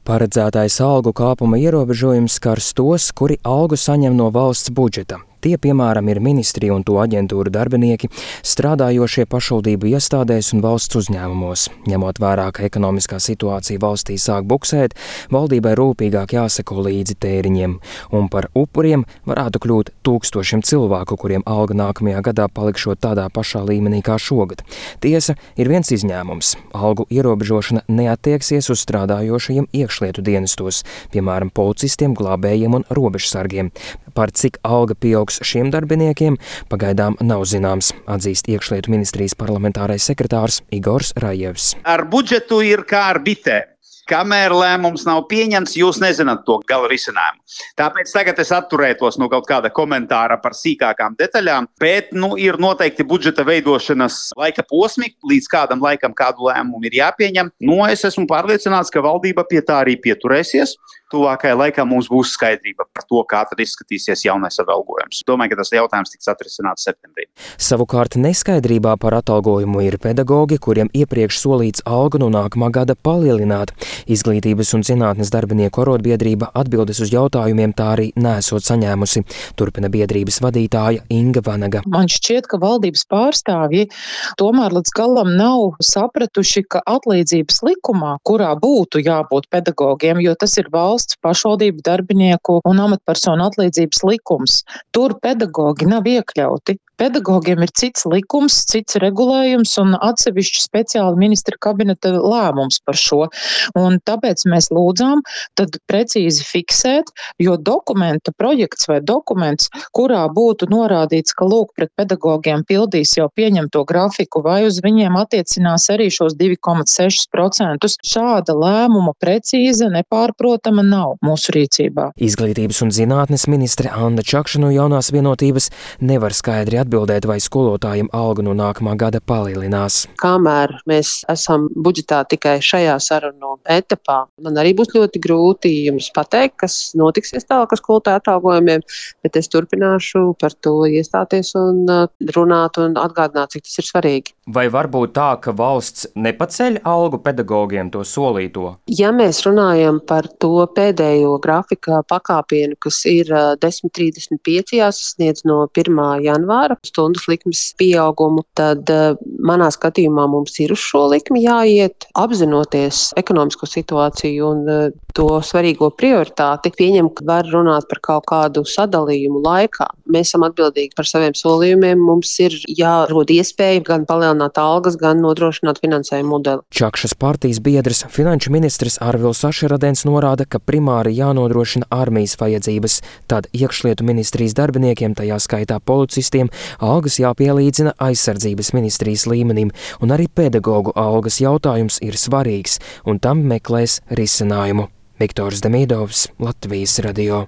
Paredzētais algu kāpuma ierobežojums skars tos, kuri algu saņem no valsts budžeta. Tie, piemēram, ir ministriju un to aģentūru darbinieki, strādājošie pašvaldību iestādēs un valsts uzņēmumos. Ņemot vērā, ka ekonomiskā situācija valstī sāk buksēt, valdībai rūpīgāk jāseko līdzi tēriņiem. Un par upuriem varētu kļūt tūkstošiem cilvēku, kuriem alga nākamajā gadā palikšot tādā pašā līmenī kā šogad. Tiesa, ir viens izņēmums. Algu ierobežošana neattieksies uz strādājošajiem iekšlietu dienestos, piemēram, policistiem, glābējiem un robežsargiem. Par cik alga pieaugs šiem darbiniekiem pagaidām nav zināms, atzīst iekšlietu ministrijas parlamentārais sekretārs Igors Rajevs. Ar budžetu ir kā ar bitēm. Kamēr lēmums nav pieņemts, jūs nezināt to gala risinājumu. Tāpēc tagad es atturētos no kaut kāda komentāra par sīkākām detaļām, bet ir noteikti budžeta veidošanas laika posmi, līdz kādam laikam kādu lēmumu ir jāpieņem. Es esmu pārliecināts, ka valdība pie tā arī pieturēsies. Tuvākajā laikā mums būs skaidrība par to, kā tad izskatīsies jaunais atalgojums. Domāju, ka tas jautājums tiks atrisināts septembrī. Savukārt neskaidrībā par atalgojumu ir pedagogi, kuriem iepriekš solīts algu no nākamā gada palielināt. Izglītības un zinātnes darbinieku arotbiedrība atbildes uz jautājumiem tā arī nesot saņēmusi. Turpina biedrības vadītāja Inga Vanaga. Man šķiet, ka valdības pārstāvji tomēr līdz galam nav sapratuši, ka atlīdzības likumā, kurā būtu jābūt pedagogiem, jo tas ir valsts pašvaldību darbinieku un amatpersonu atlīdzības likums, tur pedagogi nav iekļauti. Pedagogiem ir cits likums, cits regulējums un atsevišķi speciāli ministra kabineta lēmums par šo. Un tāpēc mēs lūdzām tad precīzi fiksēt, jo dokumenta projekts vai dokuments, kurā būtu norādīts, ka lūk pret pedagogiem pildīs jau pieņemto grafiku vai uz viņiem attiecinās arī šos 2,6%. Šāda lēmuma precīza, nepārprotama nav mūsu rīcībā. Izglītības un zinātnes ministre Anna Čakša no Jaunās vienotības nevar skaidri atbildēt, vai skolotājiem algu no nākamā gada palielinās. Kamēr mēs esam budžetā tikai šajā sarunu etapā, man arī būs ļoti grūti jums pateikt, kas notiksies tālāk ar skolotāju atalgojumiem, bet es turpināšu par to iestāties un runāt un atgādināt, cik tas ir svarīgi. Vai var būt tā, ka valsts nepaceļ algu pedagogiem to solīto? Ja mēs runājam par to pēdējo grafika pakāpienu, kas ir 10,35 jāsasniedz no 1. janvāra stundas likmes pieaugumu, tad manā skatījumā mums ir uz šo likmi jāiet, apzinoties ekonomisko situāciju un to svarīgo prioritāti, pieņem, ka var runāt par kaut kādu sadalījumu laikā. Mēs esam atbildīgi par saviem solījumiem, mums ir jārod iespēja gan palielināt algas, gan nodrošināt finansējumu modeli. Čakšas partijas biedrs, finanšu ministrs Arvils Ašeradens norāda, ka primāri jānodrošina armijas vajadzības, tad iekšlietu ministrijas darbiniekiem, tajā skaitā policistiem, algas jāpielīdzina aizsardzības ministrijas līmenim, un arī pedagogu algas jautājums ir svarīgs, un tam meklēs risinājumu. Viktors Demidovs, Latvijas radio.